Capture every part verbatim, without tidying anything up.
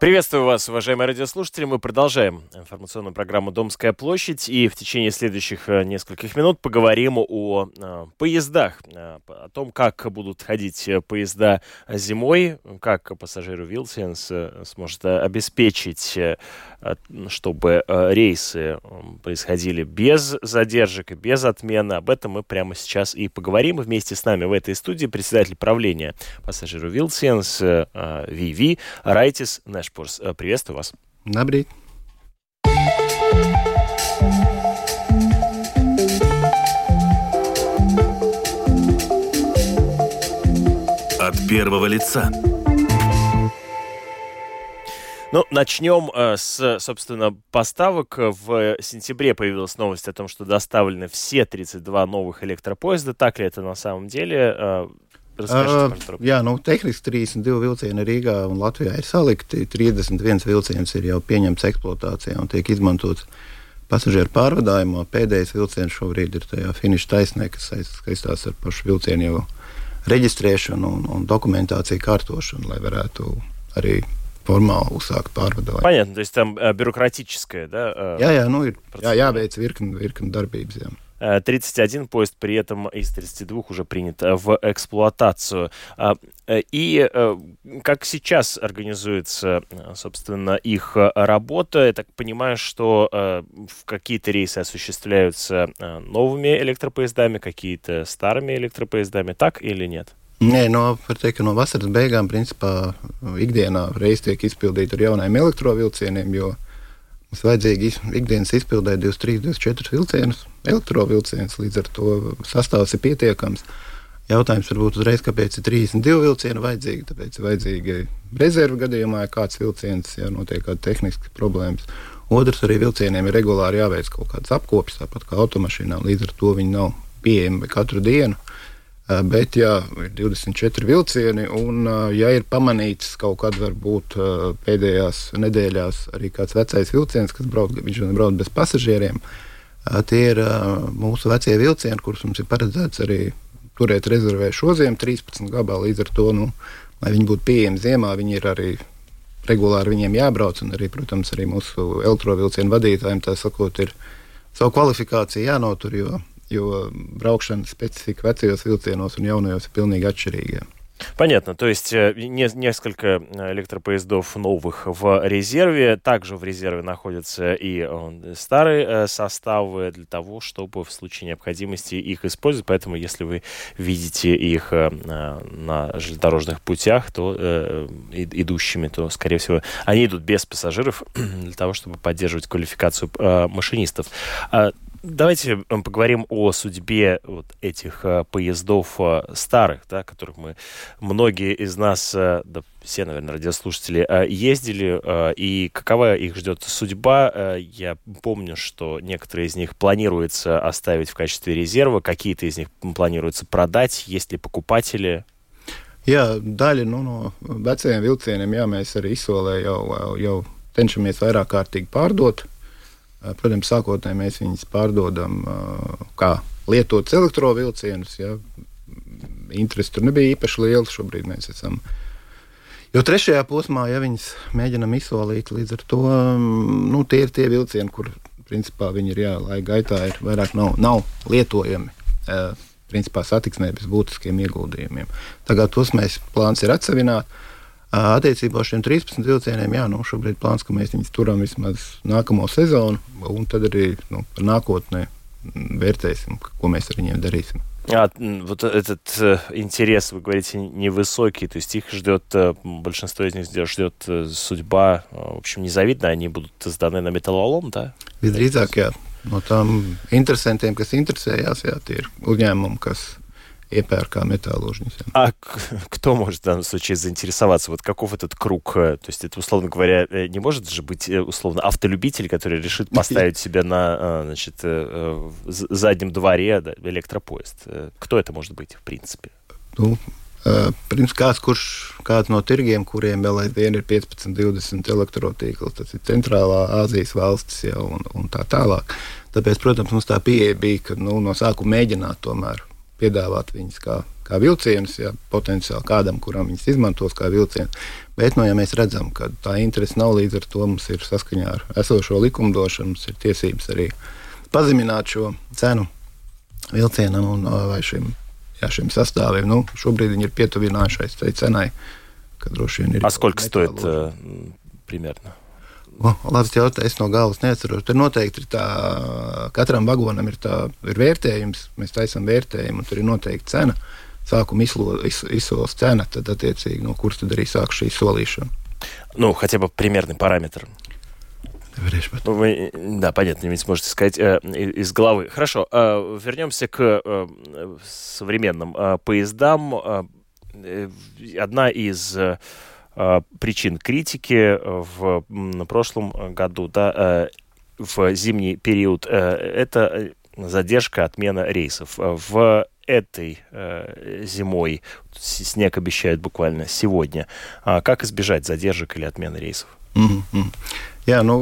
Приветствую вас, уважаемые радиослушатели. Мы продолжаем информационную программу «Домская площадь». И в течение следующих нескольких минут поговорим о э, поездах, э, о том, как будут ходить поезда зимой, как пассажиры Вилсенс э, сможет обеспечить, э, чтобы э, рейсы происходили без задержек и без отмен. Об этом мы прямо сейчас и поговорим. Вместе с нами в этой студии председатель правления пассажиру Вилсенс э, Виви Райтис Нэшпурс. Приветствую вас. Labrīt. От первого лица. Ну, начнем э, с, собственно, поставок. В сентябре появилась новость о том, что доставлены все тридцать два новых электропоезда. Так ли это на самом деле? Э, Uh, jā, nu, tehniski trīsdesmit divi vilcieni Rīgā un Latvijā ir salikti. trīsdesmit viens vilciens ir jau pieņemts eksploatācijā un tiek izmantots pasažieru pārvadājumā. Pēdējais vilciens šobrīd ir tajā finiša taisnē, kas saistās ar pašu vilcienu jau reģistrēšanu un, un dokumentāciju kārtošanu, lai varētu arī формально uzsākt pārvadājumu. Понятно, то есть там э, бюрократическое, да? Э, jā, jā, nu ir jā, jāveic virkni, virkni darbības, jā. тридцать один поезд при этом из тридцати двух уже принят в эксплуатацию. И как сейчас организуется, собственно, их работа? Я так понимаю, что какие-то рейсы осуществляются новыми электропоездами, какие-то старыми электропоездами, так или нет? Nē, no, var teikt, ka no vasaras beigām, principā, ikdienā reisi tiek izpildīti ar jaunajiem elektrovilcieniem, jo mums vajadzīgi ikdienas izpildēt divdesmit trīs, divdesmit četri vilcienus, elektrovilcienus, līdz ar to sastāvs ir pietiekams. Jautājums varbūt uzreiz, kāpēc ir trīsdesmit divi vilcieni vajadzīgi, tāpēc ir vajadzīgi rezervu gadījumā, ja kāds vilciens, ja notiek kāda tehniska problēmas. Otrs, arī vilcieniem ir regulāri jāveic kaut kāds apkopis, tāpat kā automašīnām, līdz ar to viņi nav pieejami katru dienu. Bet, ja ir divdesmit četri vilcieni, un ja ir pamanīts kaut kad varbūt pēdējās nedēļās arī kāds vecais vilciens, kas brauc, viņš brauc bez pasažieriem, tie ir mūsu vecie vilcieni, kurus mums ir paredzēts arī turēt rezervē šoziem, trīspadsmit gabali, līdz ar to, nu, lai viņi būtu pieejami ziemā, viņi ir arī regulāri viņiem jābrauc, un arī, protams, arī mūsu elektrovilcienu vadītājiem, tā sakot, ir savu kvalifikāciju jānotur, jo jo braukšanas специфика vecajos vilcienos un jaunajos ir pilnīgi atšķirīga. Понятно, то есть не, несколько электропоездов новых в резерве, также в резерве находятся и старые составы для того, чтобы в случае необходимости их использовать, поэтому если вы видите их на железнодорожных путях, то э, идущими, то, скорее всего, они идут без пассажиров для того, чтобы поддерживать квалификацию э, машинистов. Давайте поговорим о судьбе вот этих э, поездов э, старых, да, которых мы, многие из нас, э, да, все, наверное, радиослушатели, э, ездили, э, и какова их ждет судьба. Э, я помню, что некоторые из них планируется оставить в качестве резерва, какие-то из них планируется продать, есть ли покупатели? Jā, daļa nu, no vecajiem vilcieniem, jā, mēs arī izsolē jau, jau cenšamies vairāk kārtīgi pārdot. Protams, sākotnēji mēs viņus pārdodam kā lietotus elektrovilcienus. Ja. Interesi tur nebija īpaši liela. Šobrīd mēs esam jau trešajā posmā, ja viņus mēģinam izsolīt. Līdz ar to nu, tie ir tie vilcieni, kur principā viņi ir, jā, laika gaitā ir vairāk nav, nav lietojami. Principā satiksmē bez būtiskiem ieguldījumiem. Tagad tos mēs plāns ir atsevināt. Attiecībā uz šiem trīspadsmit vilcieniem, jā, nu, šobrīd plāns, ka mēs viņus turam vismaz nākamo sezonu, un tad arī nu, par nākotnē vērtēsim, ko mēs ar viņiem darīsim. А вот этот э, интерес, вы говорите, невысокий, то есть их ждет, э, большинство из них ждет э, судьба, э, в общем, незавидная, они будут сданы на металлолом, да? Visdrīzāk, jā. No tām interesantiem, kas interesējās, jā, tie ir uzņēmumi, kas iepērkā металлуржницы. А кто может в данном случае заинтересоваться? Вот каков этот круг? То есть это, условно говоря, не может же быть, условно, автолюбитель, который решит поставить себя на, значит, заднем дворе, да, электропоезд. Кто это может быть, в принципе? Nu, pirms kāds, kurš, kāds no tirgiem, kuriem vēl aizvien ir piecpadsmit divdesmit elektrotīkls, tas ir centrālā Āzijas valstis jau un, un tā tālāk. Tāpēc, protams, mums tā pieeja bija, ka nu, no sākuma mēģināt tomēr piedāvāt viņus kā kā vilcienus, ja potenciāli kādam, kuram viņas izmantos kā vilcienu. Bet, nu, ja mēs redzam, ka tā interese nav, līdz ar to mums ir saskaņā ar esošo likumdošanu, mums ir tiesības arī pazemināt šo cenu vilcienam un vai šim, jā, šim sastāviem. Nu, šobrīd viņi ir pietuvinājušies tai cenai, ka droši vien ir... А сколько стоит uh, примерно? O, labs jautājums, es no galvas neatceros. Tur noteikti ir tā, katram vagonam ir tā, ir vērtējums, mēs taisam vērtējumu, un tur ir noteikti cena. Sākuma изсо, изсоlas цена, tad attiecīgi, no kuras tad arī sāk šī solīšana. Ну, хотя бы примерный параметр. Ну, вы, да, понятно, не сможете сказать э, из головы. Хорошо, э, вернемся к э, современным э, поездам. Э, одна из э, причин критики в на прошлом году, да, э, в зимний период, э, это задержка, отмена рейсов. В этой э, зимой, снег обещают буквально сегодня, а как избежать задержек или отмены рейсов? Mm-hmm. Jā, nu,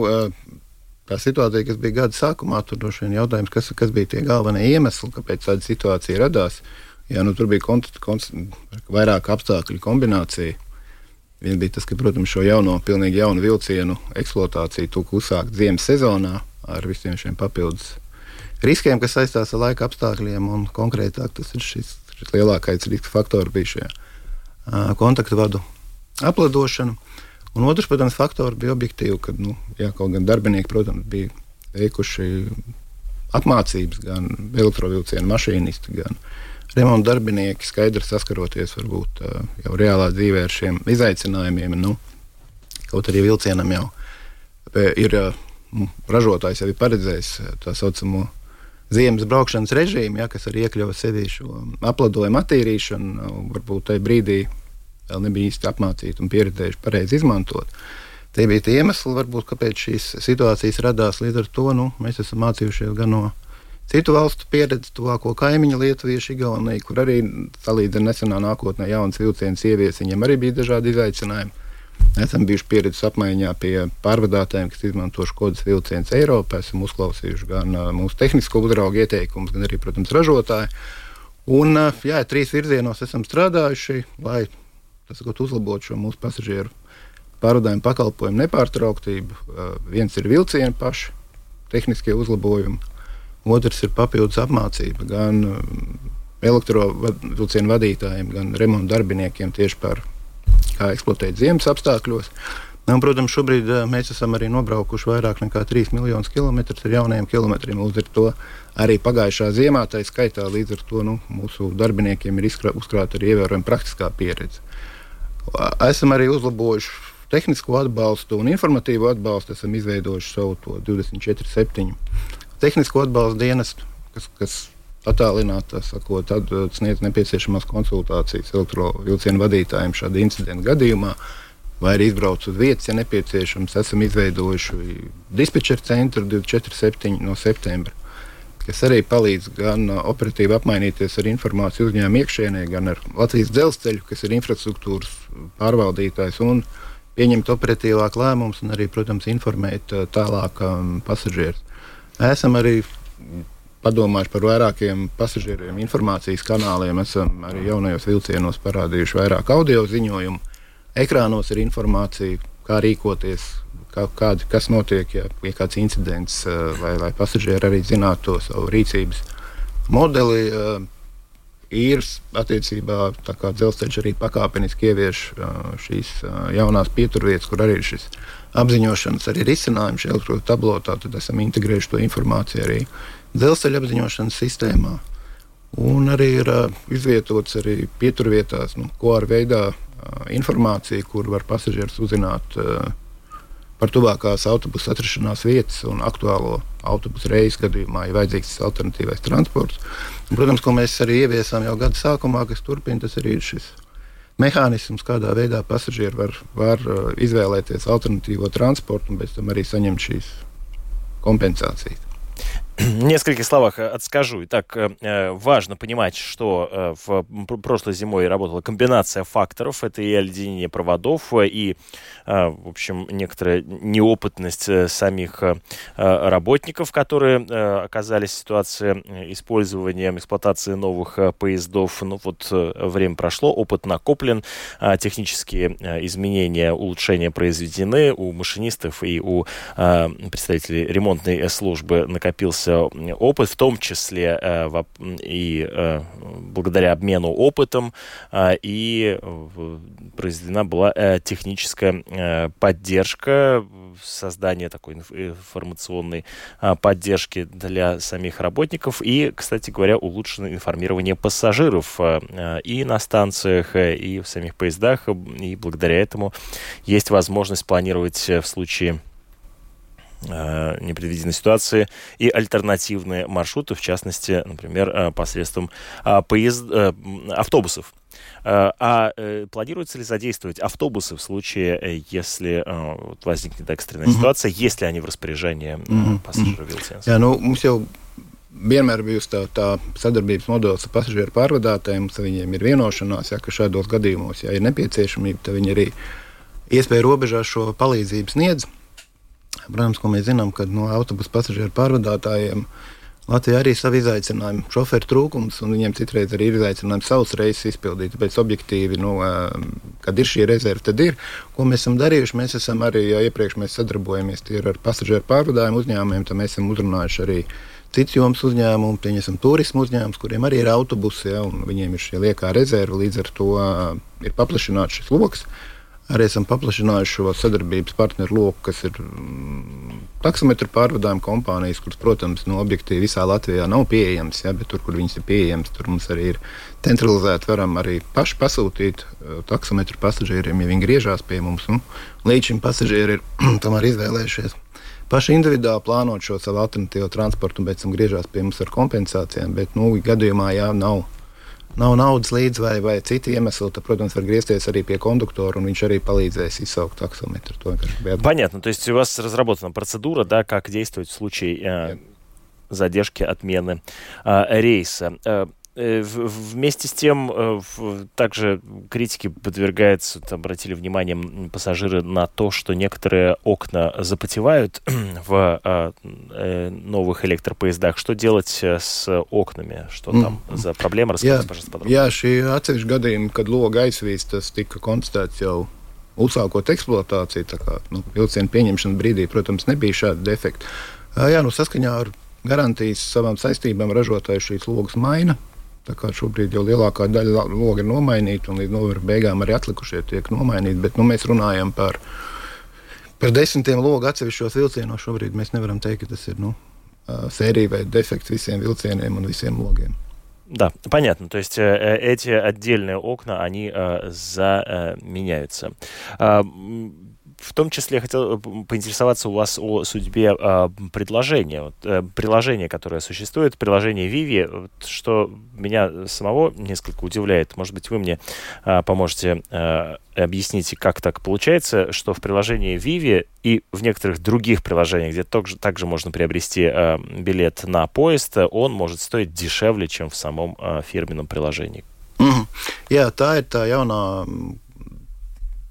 tā situācija, kas bija gada sākumā, tur droši vien jautājums, kas, kas bija tie galvenie iemesli, kāpēc tāda situācija radās. Jā, nu, tur bija kont, kont, vairāk apstākļu kombinācija. Viens bija tas, ka, protams, šo jauno, pilnīgi jaunu vilcienu eksploatāciju tika uzsākt ziemas sezonā ar visiem šiem papildus riskiem, kas saistās ar laika apstākļiem, un konkrētāk tas ir šis, šis lielākais riska faktors bija šie uh, kontaktu vadu apladošana. Un otrs, protams, faktors bija objektīvi, kad, nu, jā, kaut gan darbinieki, protams, bija veikuši apmācības, gan elektrovilcienu mašīnisti, gan remontu darbinieki, skaidri saskaroties varbūt uh, jau reālā dzīvē ar šiem izaicinājumiem. Nu, kaut arī vilcienam jau ir uh, ražotājs jau ir paredzējis tā saucamo ziemas braukšanas režīmu, ja, kas arī iekļauj sevī šo apladojumu attīrīšanu, varbūt tajā brīdī vēl nebija īsti apmācīti un pieredzējuši pareizi izmantot. Tie bija tie iemesli, varbūt, kāpēc šīs situācijas radās. Līdz ar to nu, mēs esam mācījušies gan no citu valstu pieredzi, tuvāko kaimiņu Lietuviešu, Igauniju, kur arī salīdzina nesenā nākotnē jaunas vilcienas ievies, viņiem arī bija dažādi izaicinājumi. Esam bijuši pieredzes apmaiņā pie pārvadātājiem, kas izmanto Škodas vilcienus Eiropā. Esam uzklausījuši gan uh, mūsu tehnisko uzraugu ieteikumus, gan arī, protams, ražotāji. Un, uh, jā, trīs virzienos esam strādājuši, lai uzlabotu šo mūsu pasažieru pārvadājumu pakalpojumu nepārtrauktību. Uh, viens ir vilcieni paši, tehniskie uzlabojumi. Otrs ir papildus apmācība gan uh, elektrovilcienu vadītājiem, gan remontu darbiniekiem tieši par kā eksploatēt ziemas apstākļos. Un, protams, šobrīd mēs esam arī nobraukuši vairāk nekā trīs miljonus kilometrus ar jaunajiem kilometriem. Līdz ar to arī pagājušā ziemā, tā skaitā, līdz ar to nu, mūsu darbiniekiem ir uzkrāta arī ievērojama praktiskā pieredze. Esam arī uzlabojuši tehnisko atbalstu un informatīvo atbalstu. Esam izveidojuši savu to divdesmit četri septiņi tehnisko atbalstu dienestu, kas, kas attālināti, sakot, tad sniedz nepieciešamās konsultācijas elektrovilcienu vadītājiem šāda incidenta gadījumā, vai arī izbrauc uz vietas, ja nepieciešams. Esam izveidojuši dispečeru centru divdesmit četri septiņi no septembra, kas arī palīdz gan operatīvi apmainīties ar informāciju uzņēmumu iekšienē, gan ar Latvijas dzelzceļu, kas ir infrastruktūras pārvaldītājs, un pieņemt operatīvāk lēmumus un arī, protams, informēt tālāk um, pasažierus. Esam arī padomājuši par vairākiem pasažieriem informācijas kanāliem. Esam arī jaunajos vilcienos parādījuši vairāk audio ziņojumu. Ekrānos ir informācija, kā rīkoties, kā, kādi, kas notiek, ja ir kāds incidents, lai, lai pasažieri arī zinātu to savu rīcības modeli. Ir attiecībā, tā kā dzelzceļš arī pakāpeniski ievieš šīs jaunās pieturvietas, kur arī ir šis apziņošanas arī risinājums šajā elektrodu tablotā, tad esam integrējuši to informāciju arī dzelzceļa apziņošanas sistēmā. Un arī ir uh, izvietots arī pieturvietās, nu, ko ar veidā uh, informācija, kur var pasažieris uzzināt uh, par tuvākās autobusu atrašanās vietas un aktuālo autobusu reisu gadījumā, ja vajadzīgs alternatīvais transports. Un, protams, ko mēs arī ieviesām jau gada sākumā, kas turpina, tas arī ir šis mehānisms, kādā veidā pasažieri var, var uh, izvēlēties alternatīvo transportu un pēc tam arī saņemt šīs kompensācijas. В нескольких словах отскажу. Итак, важно понимать, что в прошлой зимой работала комбинация факторов. Это и оледенение проводов, и, в общем, некоторая неопытность самих работников, которые оказались в ситуации использования, эксплуатации новых поездов. Ну вот время прошло, опыт накоплен, технические изменения, улучшения произведены у машинистов и у представителей ремонтной службы накопился опыт, в том числе э, в, и э, благодаря обмену опытом э, и э, произведена была э, техническая э, поддержка, создание такой информационной э, поддержки для самих работников и, кстати говоря, улучшенное информирование пассажиров э, и на станциях, э, и в самих поездах, и благодаря этому есть возможность планировать в случае непредвиденной ситуации и альтернативные маршруты, в частности, например, посредством поезд... автобусов. А планируется ли задействовать автобусы в случае, если возникнет экстренная mm-hmm. ситуация, если они в распоряжении mm-hmm. пассажиров vilciens? Jā, nu, mums jau vienmēr bijusi tā, tā sadarbības modelis ar pasažieru pārvadātājiem, ka viņiem ir vienošanās, ja, ka šādos gadījumos, ja ir nepieciešamība, tad viņi arī iespēju robežās šo palīdzību sniedz. Protams, ko mēs zinām, ka no autobusu pasažieru pārvadātājiem Latvijā arī ir savi izaicinājumi, šoferu trūkums, un viņiem citreiz arī ir izaicinājumi savus reisus izpildīt. Tāpēc objektīvi, nu, kad ir šī rezerve, tad ir. Ko mēs esam darījuši? Mēs esam arī, ja iepriekš mēs sadarbojamies tie ar pasažieru pārvadājumu uzņēmumiem, tad mēs esam uzrunājuši arī cits jomas uzņēmumu, pieņemsim turismu uzņēmumus, kuriem arī ir autobusi, ja, un viņiem ir šie liekā rezerve, līdz ar to ir paplašināts šis loks. Arī esam paplašinājuši šo sadarbības partneru loku, kas ir mm, taksometru pārvadājuma kompānijas, kuras, protams, no objektīvi visā Latvijā nav pieejamas, ja, bet tur, kur viņas ir pieejamas, tur mums arī ir centralizēti, varam arī paši pasūtīt uh, taksometru pasažieriem, ja viņi griežās pie mums. Un līdz šim pasažieri ir tomēr izvēlējušies paši individuāli plānot šo savu alternatīvo transportu un pēc tam griežās pie mums ar kompensācijām, bet, nu, gadījumā, jā, nav nav naudas līdz vai, vai citi iemesli, tad, protams, var griezties arī pie кондуктора, он viņš arī palīdzēs izsaukt таксометр. Понятно. То есть у вас разработана процедура, да, как действовать в случае э, задержки, отмены э, рейса. Э, Вместе с тем, также критике подвергается, обратили внимание пассажиры на то, что некоторые окна запотевают в новых электропоездах. Что делать с окнами? Что там mm. за проблема? Расскажите, пожалуйста, подробнее. Jā, šī atsevišķi gadījumi, kad loga aizvīs, tas tika konstatēts jau uzsākot eksploatāciju, tā kā nu, vilcienu pieņemšanas brīdī, protams, nebija šāda defekta. Jā, nu saskaņā ar garantijas savām saistībām ražotājs šīs logas maina. Tā kā šobrīd jau lielākā daļa loga ir nomainīta un līdz novembra beigām arī atlikušie tiek nomainīti, bet nu, mēs runājam par, par desmitiem logu atsevišķos vilcienos. Šobrīd mēs nevaram teikt, ka tas ir nu, sērija vai defekts visiem vilcieniem un visiem logiem. Да, понятно. То есть э, эти отдельные окна, они э, заменяются. Э, В том числе я хотел поинтересоваться у вас о судьбе э, предложения. Вот, э, приложение, которое существует, приложение Vivi, вот, что меня самого несколько удивляет. Может быть, вы мне э, поможете э, объяснить, как так получается, что в приложении Vivi и в некоторых других приложениях, где также, также можно приобрести э, билет на поезд, он может стоить дешевле, чем в самом э, фирменном приложении. Mm-hmm. Jā, tā ir tā jaunā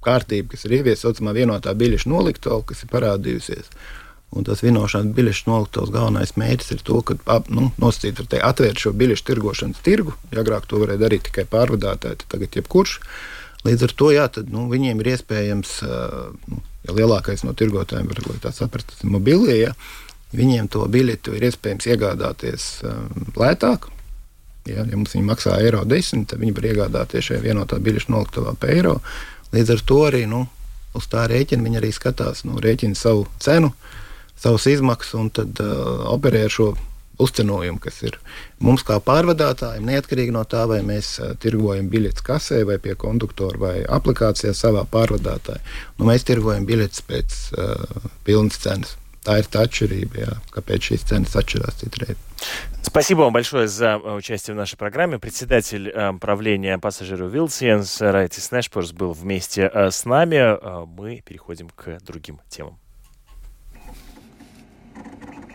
kārtība, kas ir ieviesta saucamā vienotā biļešu noliktava, kas ir parādījusies. Un tas vienošanās biļešu noliktavas galvenais mērķis ir to, ka nu, nosacīt var teikt, atvērt šo biļešu tirgošanas tirgu. Ja agrāk to varēja darīt tikai pārvadātāji, tad tagad jebkurš. Līdz ar to, jā, tad nu, viņiem ir iespējams, nu, ja lielākais no tirgotājiem var, lai tā saprast, tas ir mobilie, ja, viņiem to biļetu ir iespējams iegādāties um, lētāk. Ja, ja mums viņi maksā eiro desmit, tad viņi var iegādāties šajā vienotā biļešu noliktavā pa eiro. Līdz ar to arī nu, uz tā rēķina viņi arī skatās, nu, rēķina savu cenu, savus izmaksas un tad uh, operē ar šo uzcenojumu, kas ir mums kā pārvadātājiem, neatkarīgi no tā, vai mēs uh, tirgojam biļetes kasē vai pie konduktora vai aplikācijā savā pārvadātāja. Nu, mēs tirgojam biļetes pēc uh, pilnas cenas. Tā ir tā atšķirība, jā, kāpēc šīs cenas atšķirās citreiz. Спасибо вам большое за участие в нашей программе. Председатель э, правления пассажиров vilciens Райтис Нешпорс был вместе э, с нами. Э, мы переходим к другим темам.